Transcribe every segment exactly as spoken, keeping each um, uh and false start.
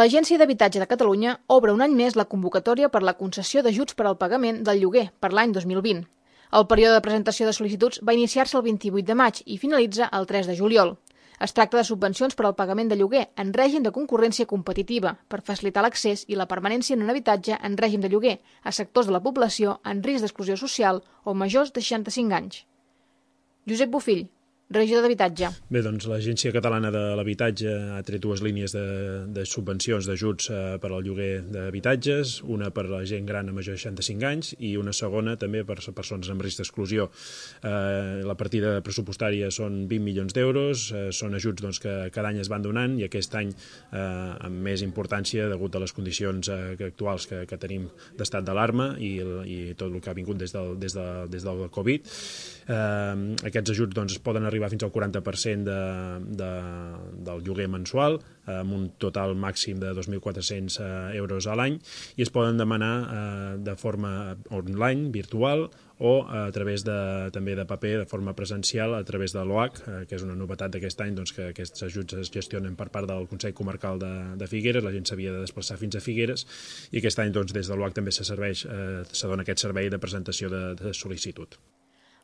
L'Agència d'Habitatge de Catalunya obre un any més la convocatòria per la concessió d'ajuts per al pagament del lloguer per l'any dos mil vint. El període de presentació de sol·licituds va iniciar-se el vint-i-vuit de maig i finalitza el tres de juliol. Es tracta de subvencions per al pagament de lloguer en règim de concurrència competitiva per facilitar l'accés i la permanència en un habitatge en règim de lloguer a sectors de la població en risc d'exclusió social o majors de seixanta-cinc anys. Josep Bofill, regidor d'Habitatge. Bé, doncs l'Agència Catalana de l'Habitatge ha tret dues línies de, de subvencions d'ajuts eh, per al lloguer d'habitatges, una per a la gent gran a major de seixanta-cinc anys i una segona també per a persones amb risc d'exclusió. Eh, la partida pressupostària són vint milions d'euros, eh, són ajuts doncs, que cada any es van donant i aquest any eh, amb més importància degut a les condicions eh, actuals que, que tenim d'estat d'alarma i, i tot el que ha vingut des del, des de, des del Covid. Eh, aquests ajuts doncs, poden arribar fins al quaranta per cent de, de, del lloguer mensual, amb un total màxim de dos mil quatre-cents euros a l'any, i es poden demanar eh, de forma online, virtual, o a través de, també de paper, de forma presencial, a través de l'O H, eh, que és una novetat d'aquest any, doncs, que aquests ajuts es gestionen per part del Consell Comarcal de, de Figueres, la gent s'havia de desplaçar fins a Figueres, i aquest any doncs, des de l'O H també se serveix, eh, se dona aquest servei de presentació de, de sol·licitud.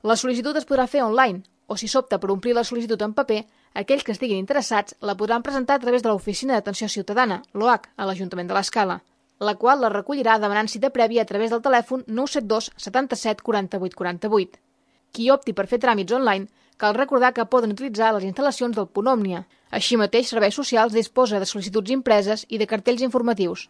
La sol·licitud es podrà fer online, o si s'opta per omplir la sol·licitud en paper, aquells que estiguin interessats la podran presentar a través de l'Oficina d'Atenció Ciutadana, l'O H, a l'Ajuntament de l'Escala, la qual la recollirà demanant cita prèvia a través del telèfon nou set dos setanta-set quaranta-vuit quaranta-vuit. Qui opti per fer tràmits online, cal recordar que poden utilitzar les instal·lacions del Punt Òmnia. Així mateix, Serveis Socials disposa de sol·licituds impreses i de cartells informatius.